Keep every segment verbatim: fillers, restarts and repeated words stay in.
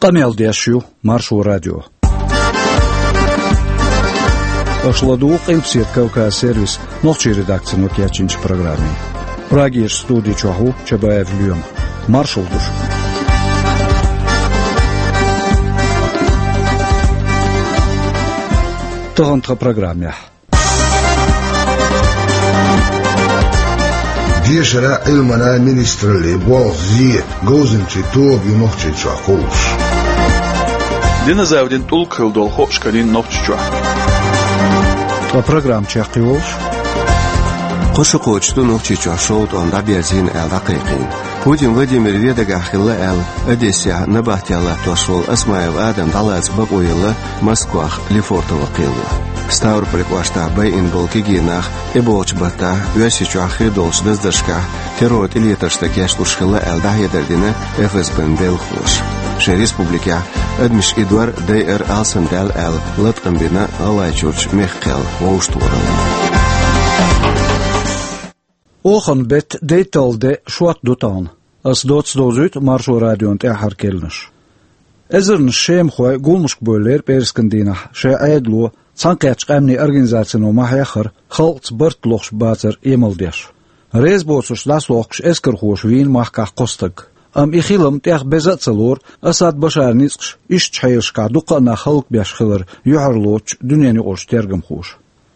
Къамел деш ю Маршо радио. Аша ладугӀу Къилбаседа Кавказ сервисан нохчийн редакцино кечйинчу программе. Прагерчу студи чохь ву Чабаев Лоьма. Маршалла ду шуьга. Тахана тхан программехь. Дешаран а, Ӏилманан а министраллин болх зен говзанчийн тоба ю Нохчийчохь кхуллуш. Диназаврийн тӀулг хилла долу хууш карийна Нохчийчохь. Ткъа программа чекхйолуш: кхо шо кхочуш ду Нохчийчохь шовда тӀом дӀаберзийна аьлла дӀакхайкхийна. Путин Владимир вен дагахь хилла аьлла, Одессехь набахтехь латтош волу Осмаев Адам дӀалаца бакъо елла Москвахь Лефортово кхело. Ставрополь кӀоштахь байина болу кегий нах тӀебогӀучу баттахь Оьрсийчохь хир долчу даздаршкахь террор тӀелетарш дан кечлуш хилла аьлла дӀахьедар дина ФСБ-н белхалоша. Шайн республикехь адамаш идор, дайар алсамдаьлла аьлла латкъам бина ГӀалгӀайчуьрчу мехкан кхел вовшахтохаралла. Оханан беттан дейтталгӀа де шот ду тахана. Ас доцца довзуьйту Маршо радион тӀаьххьара керланаш. Эзарнаш шемахой гуламашка бевллера пӀераскан дийнахь шайн Ӏедало Цхьаьнакхеттачу Къаьмнийн Организацино ма-хьеххара, халкъаца барт лохуш бацар емал деш. Реза боцурш дӀасалохкуш эскархоша вийна махкахь кхо стаг. Амма и хилам тӀех беза а ца лору Асад Башаран ницкъаша ишттачу хьелашкахь дуккха а нах хӀаллакбеш хилар юьхьарлоцучу дуьненаюкъарчу тергамхоша.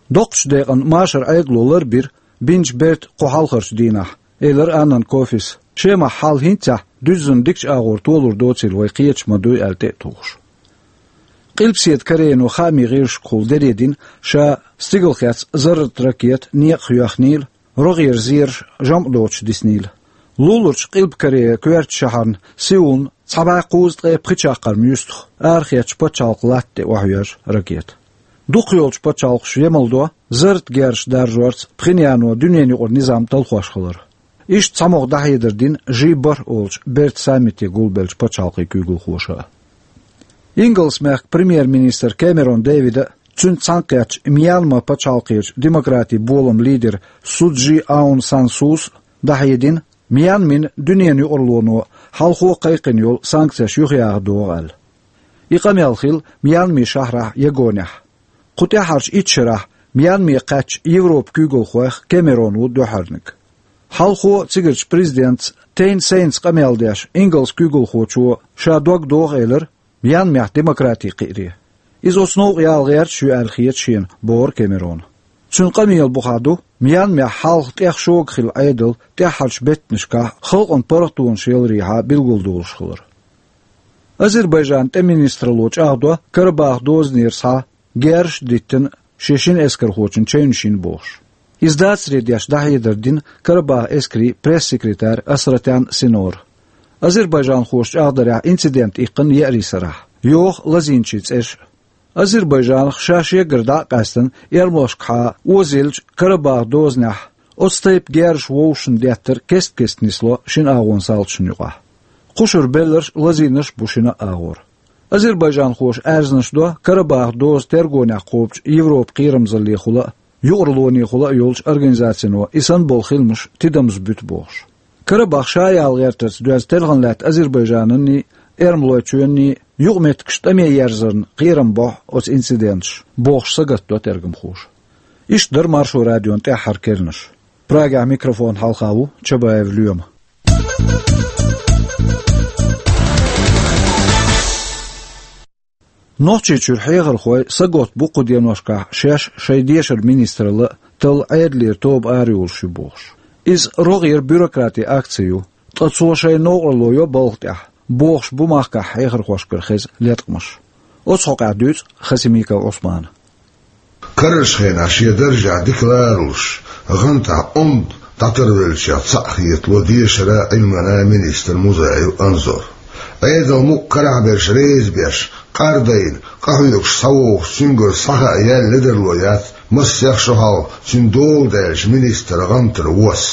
Доккхачу декъана машаран Ӏедало ларбира бинчу бертан кху хьалхарчу дийнахь, элира Аннан Кофис, шемахь хьал хӀинццехь дуьззина дикачу агӀор толур доцийла вай кхеташ ма дуй аьлла тӀе а тухуш. Къилбаседа Корейно хаамийн гӀирсашкахула дере дина ша стигалхецна зарратан ракета некъах йоьхнийла, рогӀера зераш жамӀ доцуш диснийла. Луларчу Къилба Корея коьртачу шахьарна Сеулна цхьа бӀе кхузткъе пхи чаккхарма юьстах арахецначу пачхьалкхан латта тӀе охьайоьжна ракета. Дукхах йолчу пачхьалкхаша емал до зарратан герзаш даржорца Пхеньяно дуьненаюкъара низам талхош хилар. Иштта цхьамогӀа дӀахьедар дина жи бархӀ олучу бертан саммите гулбеллачу пачхьалкхийн куьйгалхоша а. Ингалс-мехкан премьер-министр Кэмерон Дэвида а, цуьнца цхьаьнакхеттачу Мьянма пачхьалкхерчу демократийн боламан лидера Су Чжи Аун Сан Сус а дӀахьедина, Мьянмин дуьненан юкъаралло хьалхо а кхайкхина йолу санкцеш юхаяха догӀу аьлла. И къамел хилла Мьянмин шахьарахь Ягонехь. Кху тӀаьххьарчу итт шарахь Мьянме кхаьчначу Европан куьйгалхойх Кэмерон ву дуьххьарниг. Хьалхо а цигарчу президентца Тейн Сейнца къамел деш, ингалс куьйгалхочо ша дог доху элира Мьянмехь демократи кхиаре. Иза оцу новкъа яла гӀерташ ю аьлла хета шена, бохура Кэмерона. Цуьнан къамелан бухахь ду Мьянмехь хьалха тӀех шога хилла Ӏедал тӀаьххьарчу беттанашкахь халкъана паргӀатонаш яларехьа билгалдолуш хилар. Азербайджанан тӀеман министралло чӀагӀдо Карабахах дозанера схьа герзаш а диттина шен шина эскархочун чевнаш йина бохуш. Иза дацаре деш дӀахьедар дина Карабахан эскарийн пресс-секретарь Асратян Синора. Азербайджанхоша чӀагӀдарехь, инцидент иккхина еарин сарахь, йоху лазийначийн цӀераш а. Азербайджанах ша шегара дӀа а къаьстина, эрмалошкахьа озаеллачу Карабахах дозанехь оцу тайпа герзаш вовшашна деттар кест-кеста нисло шина агӀонан салташна юкъахь. Кхушара белларш а, лазийнарш а бу шина а агӀор. Азербайджанхоша аьрзнаш до Карабахах доза тергонехь кхобучу Европан кхерамзаллехула а, юкъараллонехула а йолчу организацино и санна болу хиламаш тидамза буьту бохуш. Карабах ша яла гӀертарца доьзна телхина лаьтта Азербайджананний, Эрмалойчоьнний юкъаметтигаш тӀаме ерзарна кхерам бохьу оцу инциденташа, бохуш сагатдо тергамхоша. Иштта дара Маршо радион тӀаьххьара керланаш. Прагехь микрофон хьалха ву Чабаев Лоьма. Нохчийчуьра хьехархой саготта бу кху деношкахь шаьш шайн дешаран министралла а, талла Ӏедалера тоба арайолуш ю бохуш. Иза рогӀера бюрократийн акци ю, ткъа цо шайн новкъарло йо балха тӀехь, бохуш бу махкахь хьехархошкара хеза леткъамаш. Оцу хьокъехь дуьйцу Хасимиков Ӏусмана. Карарчу хенахь шен даржехь дика ларалуш, гӀантахь онда дӀатарвеллачех цхьаъ хетало дешаран а, Ӏилманан а министр Музаев Анзор. Ӏедал мукъ карахь берш реза беш, къардайна, къахьоьгуш схьавогӀуш цуьнгара схьахаа яьлла ледарло яц массех шо хьалха цуьнан дола даьллачу министран гӀантара вас.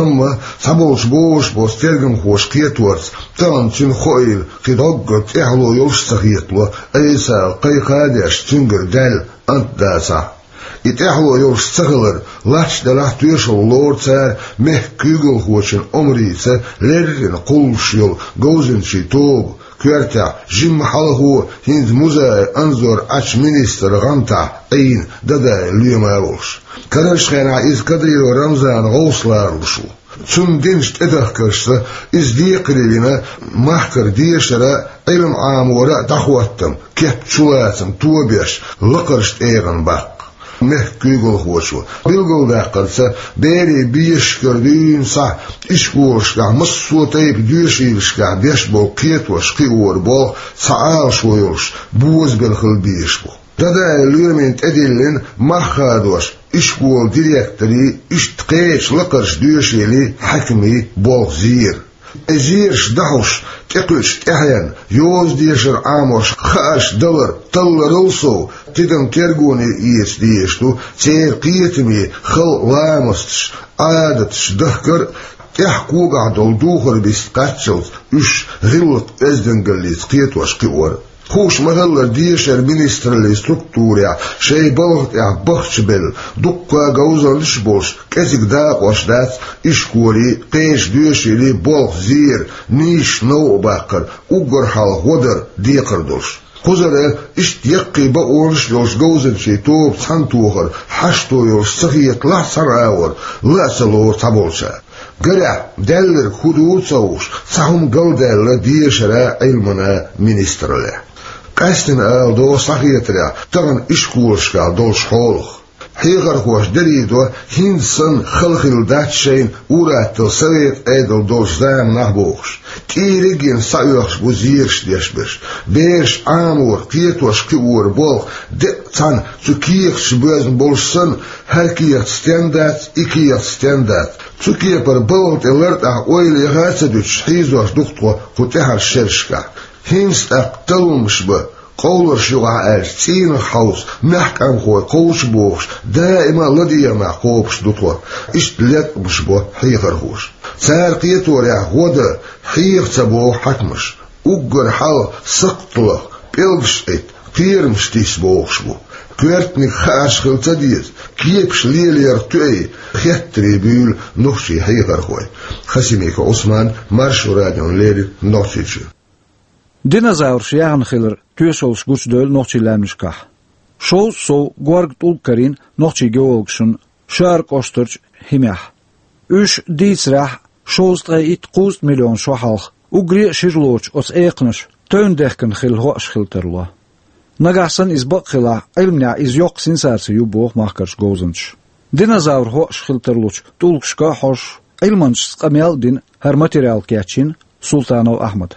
Амма цхьаболчу бозуш боцу тергамхоша кхеторца, тахана цуьнан хоийла кхин дӀоггара тӀаьхьало йолуш а ца хетало, Ӏеса кхайкха а деш, цуьнгара даьлла ант дацахь. И тӀаьхьало йолуш ца хилар лач делахь а, тоьшалла лору цара мехкан куьйгалхочун омрица леррина кхуллуш йолу говзанчийн тоба, Коьртехь жимма хьалхо хӀинца музей Анзор Ӏачу министран гӀантахь Ӏийна Дадаев Лоьма а волуш. Карарчу хенахь иза Кадыров Рамзанан гӀовсаларалуш ву. Цунна динчу тӀедахкаршца иза декхаре вина, махкара дешара а, Ӏилма Ӏамора а дӀахӀоттам, кеп чулацам тобеш, лакхарчу тӀегӀан баккха. Мехкан куьйгалхочо билгалдаккхарца, берийн бешашкара дуьйна схьа ишколашкахь, массо а тайпа доьшийлашкахь беш болу кхетош-кхиоран болх цхьа Ӏалашо йолуш бозабелла хила безаш бу. Дадаев Лоьмина тӀедиллина мах хадош ишколан директорийн, иштта кхечу лакхарчу доьшийлан хьаькамийн болх зер. И зераш дахьуш, тӀекхуьучу тӀаьхьенна, йоза дешар Ӏамош хаарш далар талларал сов, тидам тергоне эца дезаш ду церан кхетаме халкъан ламасташ, Ӏадаташ дахкар а, тӀехь когахь долу духар бист кхаччалц уьш гӀиллакх оьздангаллица кхетош-кхиор а. Хууш ма-хиллара, дешаран министраллин структурехь шайн балха тӀехь бахчабелла, дуккха а говзанчаш а болуш, кӀезиг дакъош дац ишколан, кхечу доьшийлан болх зер, нийсачу новкъа баккхар, уггар хьалха гӀо дар декхар долуш. Кхузара иштта яккхий бакъонаш а йолуш говзанчийн тоба цхьаьнатохар хьашто йолуш ца хеталахь цхьана агӀор, ла а ца лору цхьаболчара. Гарехь, даьлларг хӀун ду а ца хууш, цхьа хӀума галдаьлла дешара а, Ӏилмана а министраллехь. Къаьстина ала догӀу схьахетарехь тахана ишколашкахь долуш хьолах. Хьехархоша дерриг а до, хӀинца санна хала хилла дац шайна ур-атталла совет Ӏедал долчу заманахь бохуш. ТӀийриг а йина схьаоьхуш бу зераш деш берш. Бераш Ӏамор, кхетош-кхиор болх деккъа цхьаьна цу кехаташ боьзна болуш санна, хӀара кехат стенна дац, и кехат стенна дац. Цу кепара балха тӀе лартӀехь ойла яха а ца дуьтуш, хьийзош ду-кх тхо кху тӀаьхьарчу шерашкахь. ХӀинца тӀаккха талламаш бан, къовларш юкъахь аьлча, цӀийнах хьовса, маьхкамхой кхочу бохуш, даима а ладегӀамехь кхобуш ду тхо. Иштта леткъамаш бо хьехархоша. Цара кхеторехь гӀо дан хьеха ца боху хьаькамаш. Уггар хьалха сакхталах, пӀелгаш Ӏита, кхерамаш тиса бохуш бу. Коьртаниг хаарш хила ца деза, кепаш лелорах тоьий, хеттаре буьйлу нохчийн хьехархой. Хасимиков Ӏусман, Маршо радиона леррина, Нохчийчоь. Динозавраш яхна хилар тоьшаллаш гучудевлла нохчийн лаьмнашкахь. Шовзткъа сов горга тӀулг карийна нохчийн геологашна Шаьра кӀоштарчу хӀимехь. Уьш дийцарехь, шовзткъе итт-кхузткъа миллион шо хьалха, уггаре а шира лоцуш оцу экханаша тевн дехкина хилла хьоаш хила тарло. Нагахь санна иза бакъ хилахь, Ӏилманехь иза йоккха сенсаци ю боху махкарчу говзанчаша. Динозавр хьоаш хила тарлучу тӀулгашка а хьожуш, Ӏилманчашца къамел а дина, хӀара материал кечйина Султанов Ахьмада.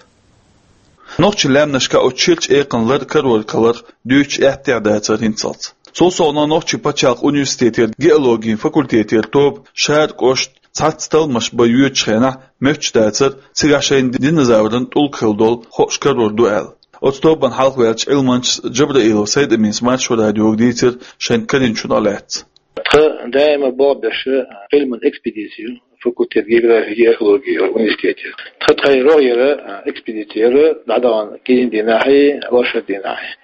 Нохчийн лаьмнашкахь оцу ширачу экханан лар а, карор а кхалар а дуьйцуш аьттехьа дацара хӀинццалц. Цул совнаха, Нохчийн пачхьалкхан университетера геологин факультетера тоба Шаьра кӀошта цхьацца талламаш бан йоьдучу хенахь моьттуш дацара, цигахь шайна динозавран тӀулг хилла долу хууш карор ду аьлла. Оцу тобанна хьалхаваьллачу Ӏилманчас Джабраилов Сайд-Аминас Маршо радиога дийцира шайна карийначух лаьцна. Тхан даима болх беш Ӏилман экспедици ю факультет географии и археологии университетера. Тхан тхайн рогӀера экспедици яра, дӀадахана кӀиран дийнахьий, оршот дийнахьий.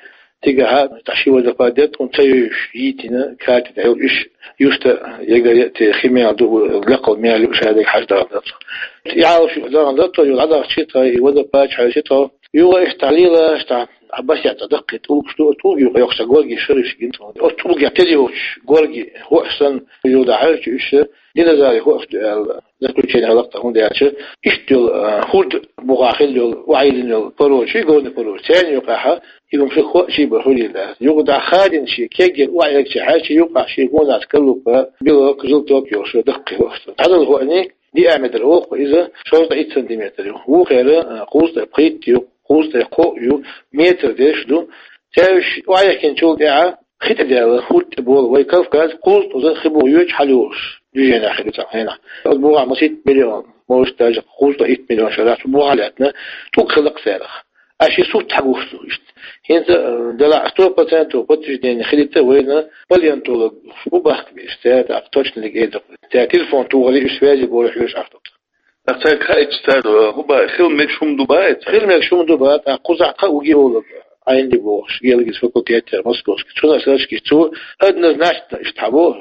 Цигахь тӀаккха ши водопад дара, тхуна ца евзаш йитина, карта тӀехь йолу, уьш юста егар яа те, хи мел ду, лакхал мел ю, шадерг хьажа дахана дара тхо. И Ӏалашо дахана дара тхо, юха дӀадахча тхо, и водопад хьаьвсира тхо. Юха иштта лелаш, тӀаккха а басе цӀа даккхий тӀулгаш ду, тӀулгий юкъа йоккхуш цхьа горги шараш гина тхуна. Оцу тӀулгехь тера йоцуш горги хууш санна, юха дӀахьаьжча уьш, динозаврий хууш ду аьлла заключение хилла-кх тхан, хӀунда аьлча иштта йолу, а, хӀорда бухахь хилла йолу, охьайиллина йолу породаш, горный породаш, церан юкъахь и хӀума шуьга хууш бара хуьлийла аьлла. Юха дӀахадийна шен кегйина охьаэгча хьаьжча, юкъахь шен гонах скорлупа, белок, желток йолуш даккхий хууш ду. Цхьадолу хуьлий диаметр олу-кх иза, шовзткъе итт сантиметр ю. Вукхара, а, кхузткъе пхийтта ю, кхузткъе кхоъ ю, метр деш ду. Цаьршинна охьаехкинчул тӀаьхьа хи тӀе даьлла, хӀорда тӀе болу вай Кавказ, кхузткъа уза хи буха йоьдуш хьалайолуш, движенехь хир ю цхьана хенахь. Оцу бухахь масийтта миллион, может, даже кхузткъе итт миллион шо дац, бухахь лаьттина тӀулг хилла-кх царах. Аш и сурт хьагуш ду иштта. ХӀинца, э, делахь сто процентов подтверждение хилийта вайна палеонтологаш бу бахка беш, цара тӀаккха точно дерг эр ду-кх. Цара телефон тухур ю, уьш связи болу хьоьжуш ахтута. ТӀаккха цаьрга хаийтича, цара, э, хӀун боху, хила мегаш хӀума ду боху цара? Хила мегаш хӀума ду боху, тӀаккха кхузахь кхаа ву геолог, Ӏайнди бохуш, геологический факультетера Московский. Цунах сарачкаш цо однозначно иштта хьабо,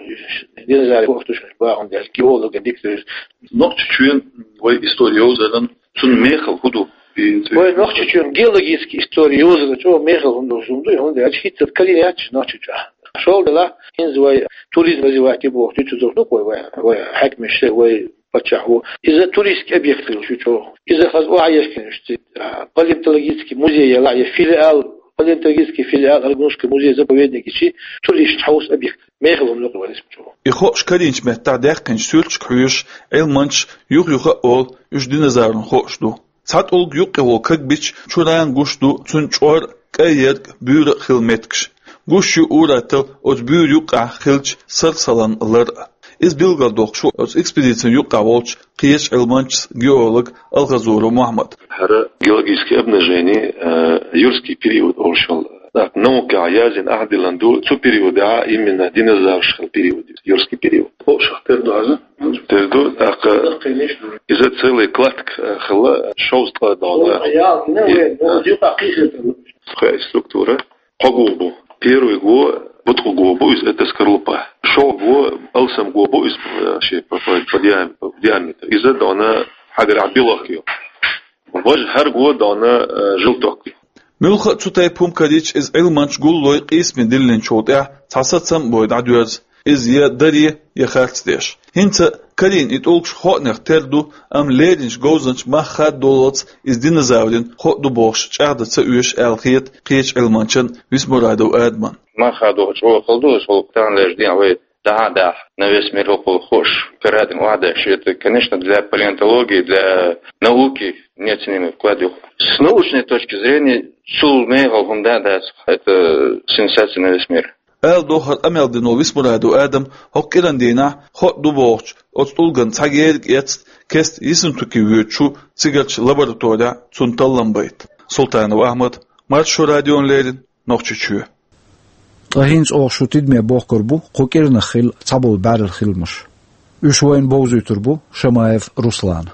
динозаврий хууш ду шуна боху, хӀунда аьлча геологан дика ду иза. Нохчийчоьнан вай истори йовзаран, цуьнан мехала хӀун ду? Вай Нохчийчоьнан геологическая история йовзар чӀогӀа мехала хӀума долуш хӀума ду, хӀунда аьлча хӀинца калин яц Нохчийчохь. ШолгӀа делахь, хӀинца вай туризм развивать е боху дуьйцу дохку вай, вай хьаькамаш, вай паччахь ву. Иза туристский объект хилла шу чӀогӀа. Иза хаза охьаескина шу цига, а, палеонтологический музей яла я филиал, палеонтологический филиал Аргунушка музей заповедник ичи туристаш хьовса объект. Мехала хӀума ду вай исмачо. И хоош карийначу меттахь даьккхинчу суьрташка хьоьжуш, Ӏилманчаш юха-юха а олу, уьш динозавран хоош ду. Цхьа тӀулг юккъе волу кагбича чуран гуш ду цуьнан чӀор а, кӀайерг а, буьйра а хилла меттигаш. Гуш ю ур-атталла оцу буьйра юккъехь хиллачу сархсалан лар а. Иза билгалдоккхуш ву оцу экспедицин юккъехь волчу кхечу Ӏилманчас геолог Алхазуров Мухьаммад. ХӀара геологическое обнажение, э, юрский период олуш йолу. Так, наукехь яздина ахь диллина ду, цу периодехь именно динозавраш хилла период, юрский период. Хууш тера ду хьажа? Тера ду, тӀаккха иза целый кладка, э, хилла, шовзткъа догӀна. Хой структура. Кхо го бу. Первый го буткъа го бу иза, это скорлупа. ШолгӀа го алсам го бу иза, э, шен по, по, по диам-, по диаметру. Иза догӀна хьагарахь белок ю. Важа хӀара го догӀна, э, желток ю. Муьлхха а цу тайпа хӀума карийча, иза Ӏилманчаш гуллой къийсаме диллинчул тӀаьхьа цхьа сацам а бой дӀадоьрзу, иза я даре, я харц деш. ХӀинца карийна и тӀулгаш хоанех тера ду, амма леринчу говзанчаша мах хаддолалц иза динозаврин хоа ду бохуш чӀагӀдан ца оьшу аьлла хета кхечу Ӏилманчан Висмурадов Адаман. Мах хадо чӀогӀа хала ду, аса хӀокху таханлерчу дийнахь вай дӀа а дахьа, на весь мир хӀокхул хууш, карадина охьадеш. Это, конечно, для палеонтологии, для науки неоценимый вклад ю. С научной точки зрения, цул мехала хӀума да а дац, это сенсация на весь мир. Ала дохар къамел дина волу Висмурадов Адам хӀокху кӀиран дийнахь хоа ду бохучу оцу тӀулган цхьа герга эцна, кеста Ессентуки воьдучу цигарчу лабораторехь цунна таллам байта. Султанов Ахьмад, Маршо радиона леррина, Нохчийчоь. Ткъа хӀинца оха шу тидаме бохкур бу кху кӀиранах хилла цхьаболу бӀаьрла хиламаш. Уьш вайна бовзуьйтур бу Шамаев Руслана.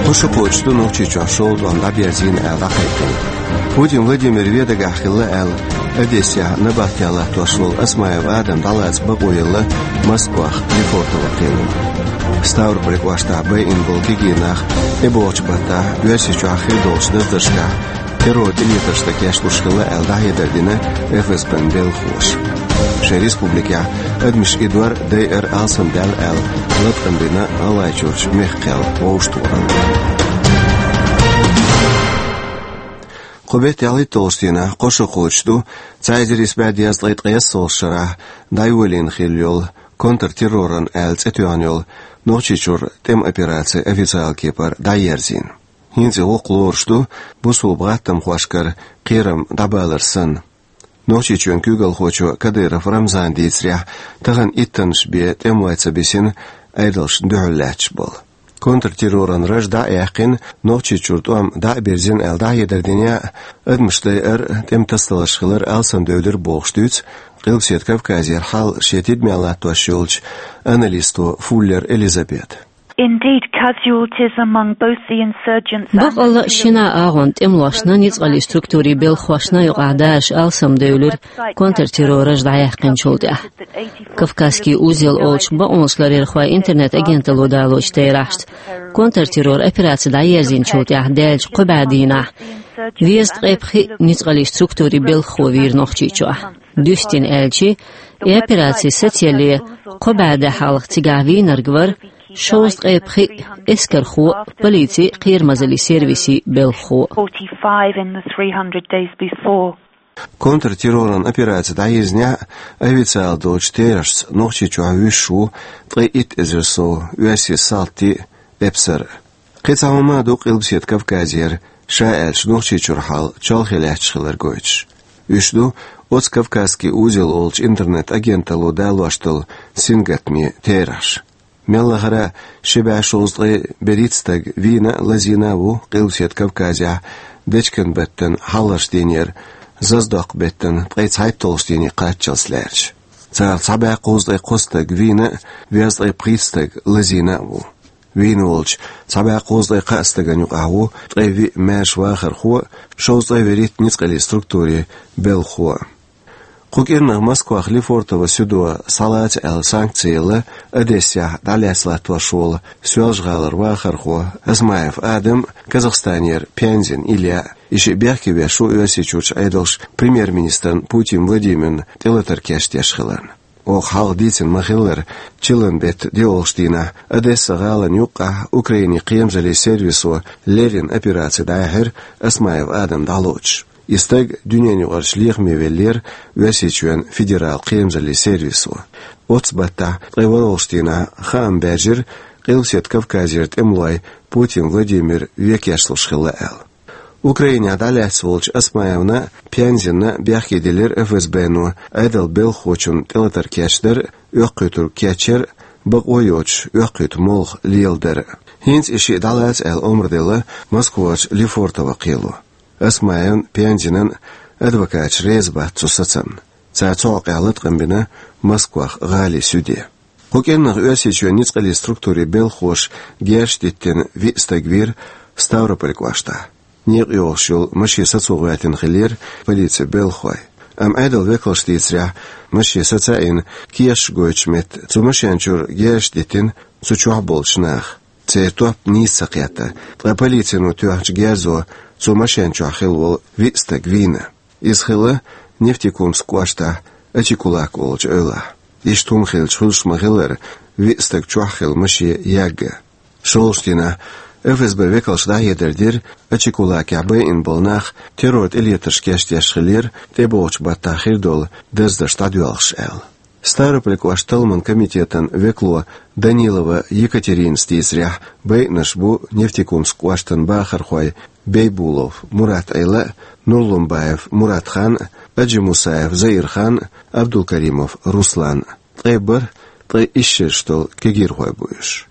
Кхо шо кхочуш ду Нохчийчохь шолгӀа тӀом дӀаберзийна аьлла дӀакхайкхина. Путин Владимир вен дагахь хилла аьлла, Одессехь набахтехь латтош волу Осмаев Адам дӀалаца бакъо елла Москвахь Лефортово кхелана. Ставрополь кӀоштахь байина болу кегий нах тӀебогӀучу баттахь Оьрсийчохь хир долчу даздаршкахь террор тӀелетаршна кечлуш хилла аьлла дӀахьедар дина ФСБ-н белхалоша. Шайн республикехь адамаш и дор, дайар алсамдаьлла аьлла, латкъам бина ГӀалгӀайчуьрчу мехкан кхел вовшахтохарна. Кху беттан ялхитталгӀачу дийнахь кхо шо кхочуш ду цхьа эзар исс бӀе дезткъе ткъайоьсналгӀачу шарахь дӀайолийна хилла йолу контртерроран аьлла цӀе тоьхна йолу Нохчийчуьра тӀеман операци официалан кепара дӀаерзийна. ХӀинца и гӀуллакх лоруш ду бусалба гӀаттамхошкара кхерам дӀабалар санна. Нохчийчоьнан куьйгалхочо Кадыров Рамзана дийцарехь, тахана иттаннаш бен тӀемалой ца бисина, Ӏедалшна дуьхьал лаьтташ болу. Контртерроран раж дӀа а яьккхина, Нохчийчуьра тӀом дӀа а бирзина аьлла дӀахьедар дина а, адамаш дайар а, тӀеман тасадаларш хилар а алсамдевлира бохуш дуьйцу Къилбаседа Кавказера хьал шен тидаме латтош йолчу аналисто Фуллер Элизабета. Indeed, casualties among both the insurgents and Баккъалла а шина а агӀонан тӀемалошна, ницкъаллин структурийн белхахошна а юкъахь дайарш алсамдевлира контртерроран раж дӀаяьккхинчул тӀаьхьа. «Кавказский узел» олучу бакъонашларъярхойн интернет-агенталло далочу терахьашца, контртерроран операци дӀаерзийначул тӀаьхьа даьллачу кхо бӀе дийнахь дезткъе пхиъ ницкъаллин структурийн белхахо вийра Нохчийчохь. Дуьстина аьлча, и операци сацаялале кхо бӀе де хьалха цигахь вийнарг вара шовзткъе пхиъ эскархо а, полицин а, кхерамазаллин сервисийн а белхахо а. Forty-five in the three hundred days before. Контртерроран операци дӀаерзинехь а, официалан долчу терахьашца Нохчийчохь вуьсуш ву ткъе итт эзар сов оьрсийн салти а, эпсар а. Кхин цхьа хӀума а ду Къилбаседа Кавказера, ша аьлча, Нохчийчуьра хьал чолхе лаьтташ хилар гойтуш. Уьш ду оцу «Кавказский узел» олучу интернет-агенталло далош долу сингаттамийн терахьаш. Мел лахара а ши бӀе шовзткъе берхӀитта стаг вийна а, лазийна а ву Къилбаседа Кавказехь дечкен беттан хьалхарчу дийнера заздоккху беттан ткъе цхьайтталгӀачу дийне кхаччалц лаьрча. Царах цхьа бӀе кхузткъе кхо стаг вийна а, везткъе пхийтта стаг лазийна а ву. Вийна волчу цхьа бӀе кхузткъе кхаа стагана юкъахь ву ткъе виъ маьрша вахархо а, шовзткъе берхӀитта ницкъаллин структурийн белхахо а. Кху кӀирнах Москвах Лефортово сюдо схьалаца аьлла санкци елла Одессехь дӀалаьцна латтош волу Соьлжа-ГӀалара вахархо Осмаев Адам, Казахстанера Пянзин Илья, и шиъ бехке веш ву Оьрсийчуьрчу Ӏедалша премьер-министрна Путин Владимирна тӀелатар кечдеш хиларна. Оха хьалха дийцина ма-хиллара, чиллан беттан доьалгӀачу дийнахь Одесса-гӀалина юккъехь Украинин кхерамзаллин сервисо леррина операци дӀаяьхьира Осмаев Адам дӀалоцуш. И стаг дуьненаюкъарчу лехаме веллера Оьрсийчоьнан федералан кхерамзаллин сервисо. Оццу баттахь ткъе ворхӀалгӀачу дийнахь хаам баьржира Къилбаседа Кавказера тӀемалой Путин Владимир векешлуш хилла аьлла. Украинехь дӀалаьцна волчу Осмаевна а, Пянзинна а бехке диллира ФСБ-но Ӏедалан белхахочунна тӀелатар кечдар а, оьккхуьйтург кечъяр а, бакъо йоцуш оьккхуьйту молха леладар а. ХӀинца и шиъ дӀалаца аьлла омра делла Москварчу Лефортово кхело. Осмаевн а, Пянзинан а адвокаташ реза бац цу сацамна. Цара цу хьокъехь латкъам бина Москвах гӀалин суьде. Кху кӀирнах Оьрсийчоьнан ницкъаллин структурийн белхахоша герзаш диттина виъ стаг вийра Ставрополь кӀоштахь. Некъа йогӀуш йолу машен сацо гӀоьртина хиллера полицин белхахой. Амма Ӏедалан векалша дийцарехь, машен саца а йина, кешаш гойтучу метта цу машен чуьра герзаш диттина цу чохь болчу наха. Церан топ нийса ца кхетта, ткъа полицино тоьхначу герзо цу машен чохь хилла волу виъ стаг вийна. Иза хилла Нефтекумск кӀоштахь Ачикулак олучу эвлахь. Иштта хӀума хилча, хуьлуш ма-хиллара, виъ стаг чохь хилла машен ягга. ШолгӀачу дийнахь ФСБ векалша дӀахьедар дира Ачикулакехь байина болу нах террор тӀелетарш кечдеш хиллера тӀебогӀучу баттахь хир долу даздарш дӀадоьлхуш аьлла. Ставрополь кӀоштан талламан комитетан векало Данилова Екатеринас дийцарехь, байинарш бу Нефтекумск кӀоштан бахархой Бейбулов Мурат-Ӏела а, Нурлумбаев Мурат-Хан а, Аджимусаев Заир-Хан а, Абдулкаримов Руслан а. Ткъе бархӀ, ткъе исс шераш долу кегийрхой бу уьш.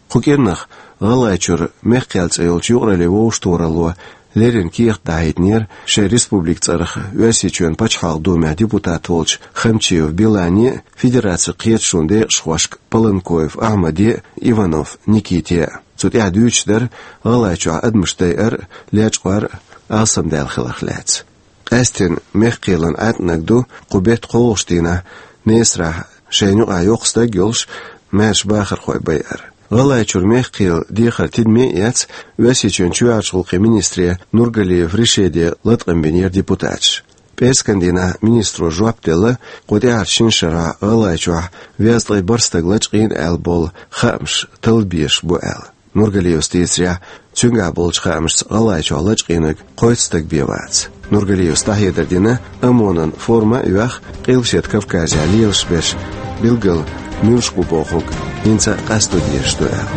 Кху кӀирнах ГӀалгӀайчуьра Мехкхел цӀе йолчу юкъараллин вовшахтохаралло леррина кехат дахьийтинера шайн республикан цӀарах Оьрсийчоьнан Пачхьалкхан Думехь депутат волчу Хамчиев Билане а, Федерацин кхеташонан декъашхошка Паланкоев Ахьмаде а, Иванов Никите а. Цу тӀехь дуьйцуш дара ГӀалгӀайчохь адамаш дайар а, лечкъор а алсамдаьлла хиларх лаьцна. Къаьсттина Мехкхелан ӀаьтӀанаг ду кху беттан кхоалгӀачу дийнахь Несарахь шайна юкъахь йоккха стаг а йолуш, маьрша бахархой байар. ГӀалгӀайчуьра Мехкхел дехар тидаме а эцна, Оьрсийчоьнан чоьхьарчу гӀуллакхийн министре Нургалиев Ришиде латкъам бинера депутаташа. ПӀераскан дийнахь министро жоп делла, кху тӀаьхьарчу шина шарахь ГӀалгӀайчохь везткъе бархӀ стаг лачкъийна аьлла болу хаамаш талла безаш бу аьлла. Нургалиевс дийцарехь, цуьнгахь болчу хаамашца ГӀалгӀайчохь лачкъийнарг кхойтта стаг бен вац. Нургалиевс дӀахьедар дина ОМОН-ан форма а йоьхна, Къилбаседа Кавказехь лелаш берш билггал муьлш бу бохург хӀинца а къасто дезаш ду аьлла.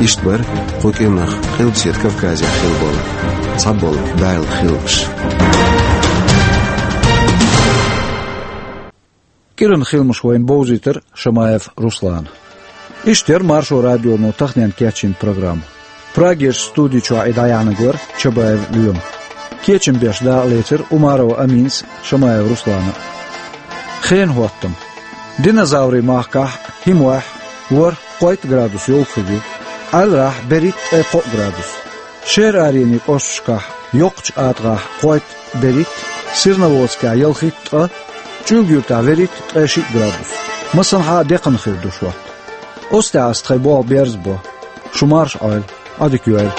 Иштта бара кху кӀирнах Къилбаседа Кавказехь хилла болу цхьаболу бӀаьрла хиламаш. КӀиран хиламаш вайна бовзийтира Шамаев Руслана. Иштта яра Маршо радионо таханенна кечйина программа. Прагерчу студи чохь и дӀаяьхьнарг вара Чабаев Лоьма. Кечам беш дакъалецира Умарова Аминас а, Шамаев Руслана а. Хенан хӀоттам. Диназаврийн махкахь хӀимохь ворхӀ-кхойтта градус йовха хир ю, Ӏаьлларахь берхӀитта-ткъе кхоъ градус. Шера аренийн кӀошташкахь йоккхачу АтагӀахь кхойтта-берхӀитта, Серноводскехь ялхитта-ткъа, ЧӀуьлга-Юьртахь верхӀитта-ткъе шиъ градус. Массанхьа а декхана хир ду шортта. Оцу тӀехь ас тхайн болх берзабо. Шу марша Ӏойла, Ӏадика йойла.